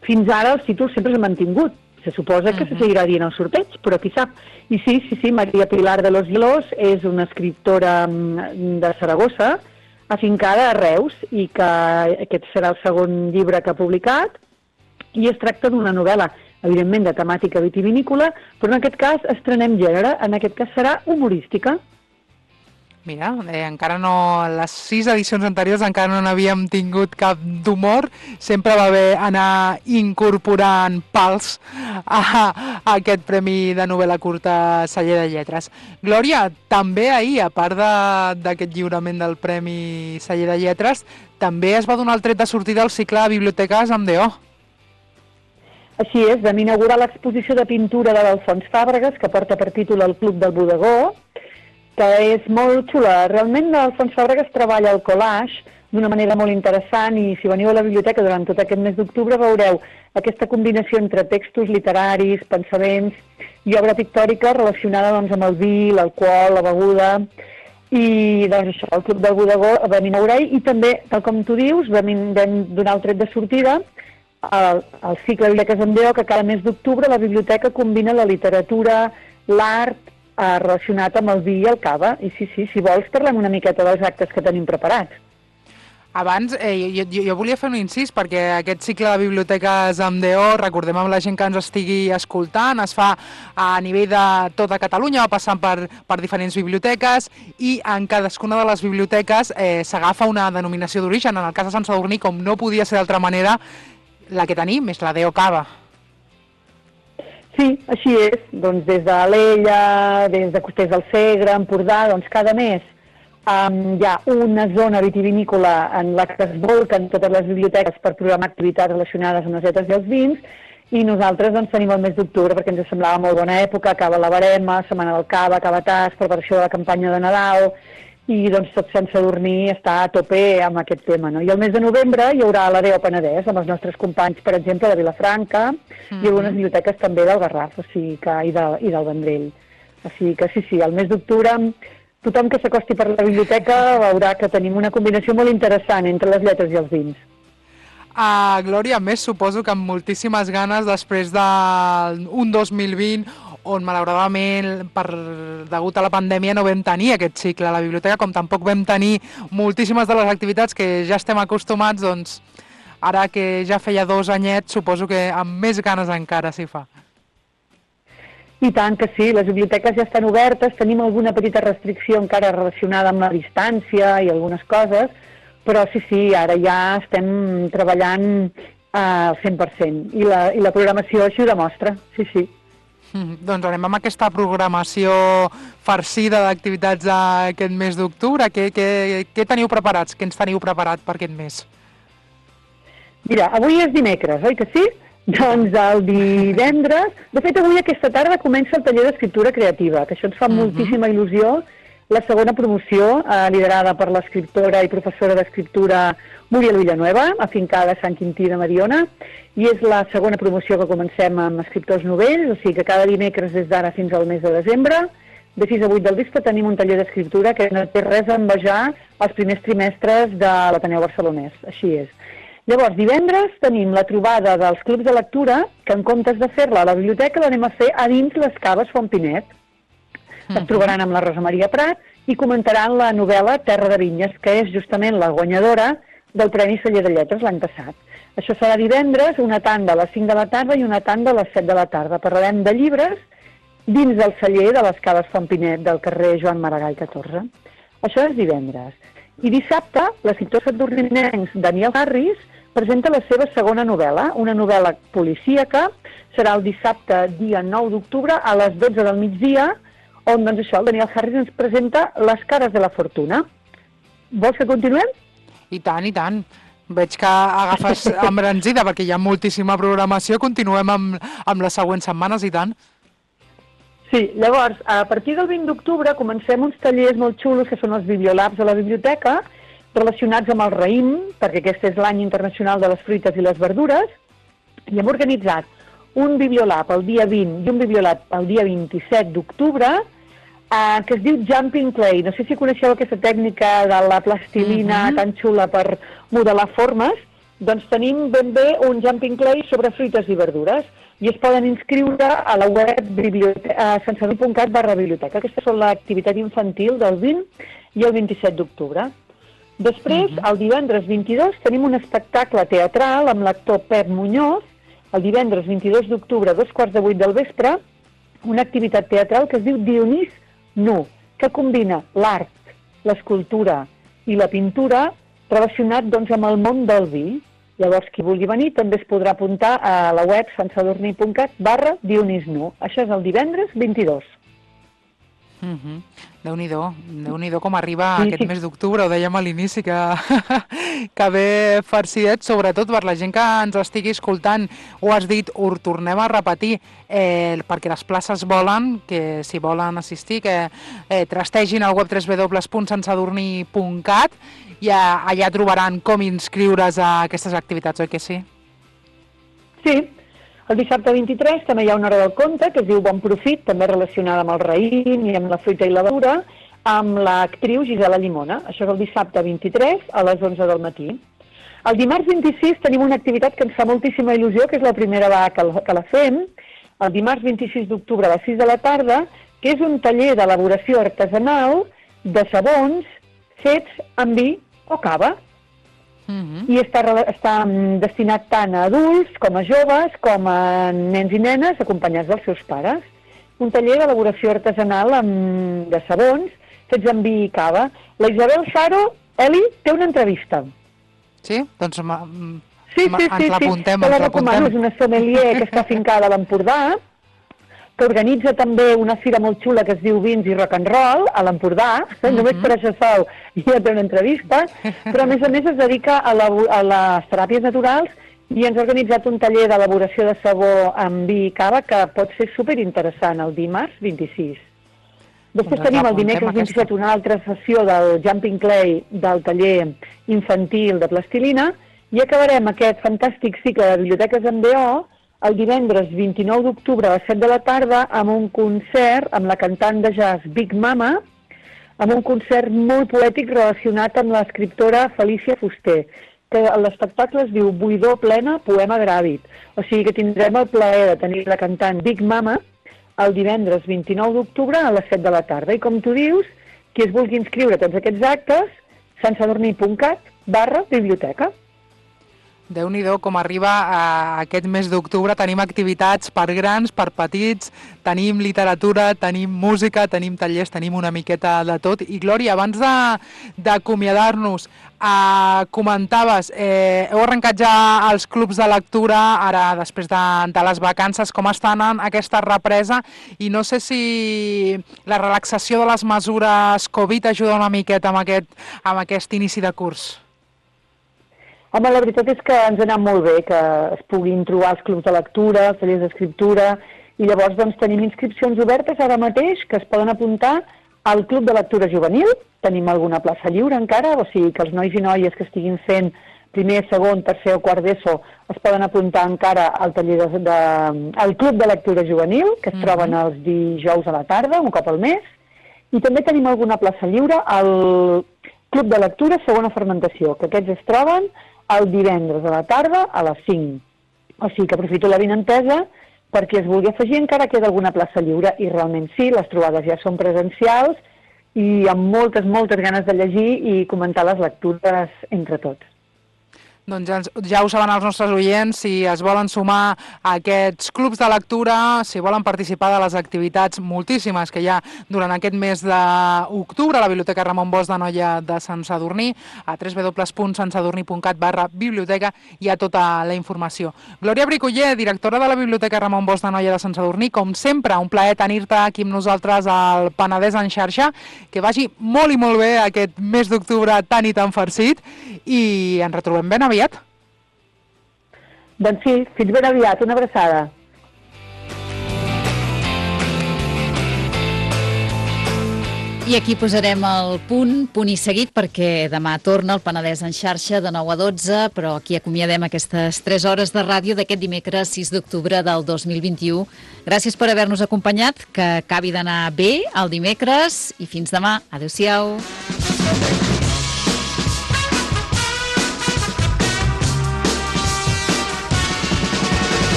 fins ara els títols sempre s'han mantingut. Se suposa que se seguirà dient el sorteig, però qui sap. I sí, Maria Pilar de los Hielos és una escriptora de Saragossa, afincada a Reus, i que aquest serà el segon llibre que ha publicat, i es tracta d'una novel·la, evidentment de temàtica vitivinícola, però en aquest cas estrenem gènere, en aquest cas serà humorística. Mira, encara no, les 6 edicions anteriors encara no n'havíem tingut cap d'humor, sempre va bé anar incorporant pals a aquest Premi de Novel·la Curta Celler de Lletres. Glòria, també ahir, a part d'aquest lliurament del Premi Celler de Lletres, també es va donar el tret de sortida al cicle de biblioteques amb D.O. Així és, vam inaugurar l'exposició de pintura de l'Alfons Fàbregas, que porta per títol El Club del Bodegó, que és molt xula. Realment l'Alfons Fàbregas treballa el collage d'una manera molt interessant i si veniu a la biblioteca durant tot aquest mes d'octubre veureu aquesta combinació entre textos literaris, pensaments i obra pictòrica relacionada doncs, amb el vi, l'alcohol, la beguda i doncs això, el Club del Bodegó vam inaugurar i també, tal com tu dius, vam donar el tret de sortida al cicle de Biblioteques amb D.O. que cada mes d'octubre la biblioteca combina la literatura, l'art, relacionat amb el vi i el cava. I sí, si vols parlem una miqueta dels actes que tenim preparats. Abans, jo volia fer un incís, perquè aquest cicle de biblioteques amb D.O., recordem amb la gent que ens estigui escoltant, es fa a nivell de tota Catalunya, passant per diferents biblioteques, i en cadascuna de les biblioteques s'agafa una denominació d'origen. En el cas de Sant Sadurní, com no podia ser d'altra manera, la que tenim és la D.O. Cava. Sí, així és. Doncs des de l'Ella, des de Costers del Segre, Empordà, doncs cada mes hi ha una zona vitivinícola en la que es volquen totes les biblioteques per programar activitats relacionades amb les lletres i els vins i nosaltres doncs, tenim el mes d'octubre perquè ens semblava molt bona època, acaba la Barema, Setmana del Cava, acaba Tas, preparació de la campanya de Nadal i doncs tot Sant Sadurní està a tope amb aquest tema. No? I el mes de novembre hi haurà la D.O. Penedès amb els nostres companys, per exemple, de Vilafranca i algunes biblioteques també del Garraf i del Vendrell. O sigui que sí, el mes d'octubre tothom que s'acosti per la biblioteca veurà que tenim una combinació molt interessant entre les lletres i els vins. Glòria, més suposo que amb moltíssimes ganes després d'un 2020 on malauradament degut a la pandèmia no vam tenir aquest cicle a la biblioteca, com tampoc vam tenir moltíssimes de les activitats que ja estem acostumats, doncs ara que ja feia 2 anyets, suposo que amb més ganes encara s'hi fa. I tant que sí, les biblioteques ja estan obertes, tenim alguna petita restricció encara relacionada amb la distància i algunes coses, però sí, ara ja estem treballant al 100%, i la programació així ho demostra, sí. Doncs anem amb aquesta programació farcida d'activitats aquest mes d'octubre. Què teniu preparats? Què ens teniu preparat per aquest mes? Mira, avui és dimecres, oi que sí? Doncs el divendres... De fet, avui aquesta tarda comença el taller d'escriptura creativa, que això ens fa moltíssima il·lusió. La segona promoció, liderada per l'escriptora i professora d'escriptura Muriel Villanueva, afincada a Sant Quintí de Mediona, i és la segona promoció que comencem amb escriptors novells, o sigui que cada dimecres des d'ara fins al mes de desembre, de 6 a 8 del vespre, tenim un taller d'escriptura que no té res a envejar els primers trimestres de l'Ateneu Barcelonès, així és. Llavors, divendres tenim la trobada dels clubs de lectura, que en comptes de fer-la a la biblioteca l'anem a fer a dins les caves Font Pinet. Es trobaran amb la Rosa Maria Prat i comentaran la novel·la Terra de Vinyes, que és justament la guanyadora del Premi Celler de Lletres l'any passat. Això serà divendres, una tanda a les 5 de la tarda i una tanda a les 7 de la tarda. Parlarem de llibres dins del celler de les caves Font Pinet del carrer Joan Maragall 14. Això és divendres. I dissabte, l'escriptor sadurninenc Daniel Harris presenta la seva segona novel·la, una novel·la policíaca. Serà el dissabte, dia 9 d'octubre, a les 12 del migdia, on doncs això, el Daniel Harris ens presenta Les cares de la fortuna. Vols que continuem? I tant, i tant. Veig que agafes embranzida perquè hi ha moltíssima programació. Continuem amb les següents setmanes, i tant. Sí, llavors, a partir del 20 d'octubre comencem uns tallers molt xulos que són els Bibliolabs a la biblioteca, relacionats amb el raïm, perquè aquest és l'any internacional de les fruites i les verdures, i hem organitzat un bibliolab el dia 20 i un bibliolab el dia 27 d'octubre, que es diu Jumping Clay. No sé si coneixeu aquesta tècnica de la plastilina tan xula per modelar formes. Doncs tenim ben bé un Jumping Clay sobre fruites i verdures i es poden inscriure a la web santsadurní.cat/biblioteca. Aquesta és l'activitat infantil del 20 i el 27 d'octubre. Després, el divendres 22, tenim un espectacle teatral amb l'actor Pep Muñoz, el divendres 22 d'octubre, a 7:15 del vespre, una activitat teatral que es diu Dionís Nu, que combina l'art, l'escultura i la pintura relacionat doncs, amb el món del vi. Llavors, qui vulgui venir també es podrà apuntar a la web santsadurní.cat/Dionís Nu. Això és el divendres 22. Déu-n'hi-do com arriba aquest mes d'octubre, ho dèiem a l'inici, que ve farcidet, sobretot per la gent que ens estigui escoltant. Ho has dit, ho tornem a repetir, perquè les places volen, que si volen assistir, que trastegin al web www.santsadurní.cat i allà trobaran com inscriure's a aquestes activitats, oi que sí? Sí. El dissabte 23 també hi ha una hora del conte que es diu Bon Profit, també relacionada amb el raïm i amb la fruita i la verdura, amb l'actriu Gisela Llimona. Això és el dissabte 23 a les 11 del matí. El dimarts 26 tenim una activitat que ens fa moltíssima il·lusió, que és la primera vegada que la fem, el dimarts 26 d'octubre a les 6 de la tarda, que és un taller d'elaboració artesanal de sabons fets amb vi o cava. I està destinat tant a adults com a joves, com a nens i nenes acompanyats dels seus pares. Un taller d'elaboració artesanal de sabons fets amb vi i cava. La Isabel Saro, Eli, té una entrevista. Sí? Doncs ens l'apuntem. La recomano, és una sommelier que està afincada a l'Empordà, que organitza també una fira molt xula que es diu Vins i Rock and Roll a l'Empordà, només per això sol ja té una entrevista, però a més es dedica a les teràpies naturals i ens ha organitzat un taller d'elaboració de sabó amb vi i cava que pot ser superinteressant el dimarts 26. Després tenim el dimecres 27 una altra sessió del Jumping Clay del taller infantil de plastilina i acabarem aquest fantàstic cicle de biblioteques en BO el divendres 29 d'octubre a les 7 de la tarda amb un concert amb la cantant de jazz Big Mama, amb un concert molt poètic relacionat amb l'escriptora Felícia Fuster, que l'espectacle es diu Buidor plena, poema gràvid. O sigui que tindrem el plaer de tenir la cantant Big Mama el divendres 29 d'octubre a les 7 de la tarda. I com tu dius, qui es vulgui inscriure a tots aquests actes, santsadurní.cat/biblioteca. Déu-n'hi-do com arriba aquest mes d'octubre. Tenim activitats per grans, per petits, tenim literatura, tenim música, tenim tallers, tenim una miqueta de tot. I Glòria, abans d'acomiadar-nos, comentaves, heu arrencat ja els clubs de lectura, ara després de les vacances, com està anant aquesta represa, i no sé si la relaxació de les mesures Covid ajuda una miqueta amb aquest inici de curs. Home, la veritat és que ens ha anat molt bé que es puguin trobar els clubs de lectura, els tallers d'escriptura, i llavors doncs, tenim inscripcions obertes ara mateix que es poden apuntar al Club de Lectura Juvenil. Tenim alguna plaça lliure encara, o sigui que els nois i noies que estiguin fent primer, segon, tercer o quart d'ESO es poden apuntar encara al taller al Club de Lectura Juvenil, que es troben els dijous a la tarda, un cop al mes, i també tenim alguna plaça lliure al Club de Lectura Segona Fermentació, que aquests es troben el divendres a la tarda a les 5. O sigui que aprofito la vinentesa perquè es vulgui afegir, encara queda alguna plaça lliure, i realment sí, les trobades ja són presencials i amb moltes, moltes ganes de llegir i comentar les lectures entre tots. Doncs ja ho saben els nostres oients, si es volen sumar a aquests clubs de lectura, si volen participar de les activitats moltíssimes que hi ha durant aquest mes d'octubre a la Biblioteca Ramon Bosch d'Anoia de Sant Sadurní, a www.santsadurní.cat/biblioteca hi ha tota la informació. Glòria Bricoller, directora de la Biblioteca Ramon Bosch d'Anoia de Sant Sadurní, com sempre, un plaer tenir-te aquí amb nosaltres al Penedès en xarxa, que vagi molt i molt bé aquest mes d'octubre tan i tan farcit, i ens retrobem ben aviat. Doncs sí, fins ben aviat, una abraçada. I aquí posarem el punt i seguit, perquè demà torna el Penedès en xarxa de 9 a 12, però aquí acomiadem aquestes 3 hores de ràdio d'aquest dimecres 6 d'octubre del 2021. Gràcies per haver-nos acompanyat, que acabi d'anar bé el dimecres i fins demà. Adéu-siau.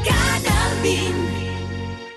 Canal 20.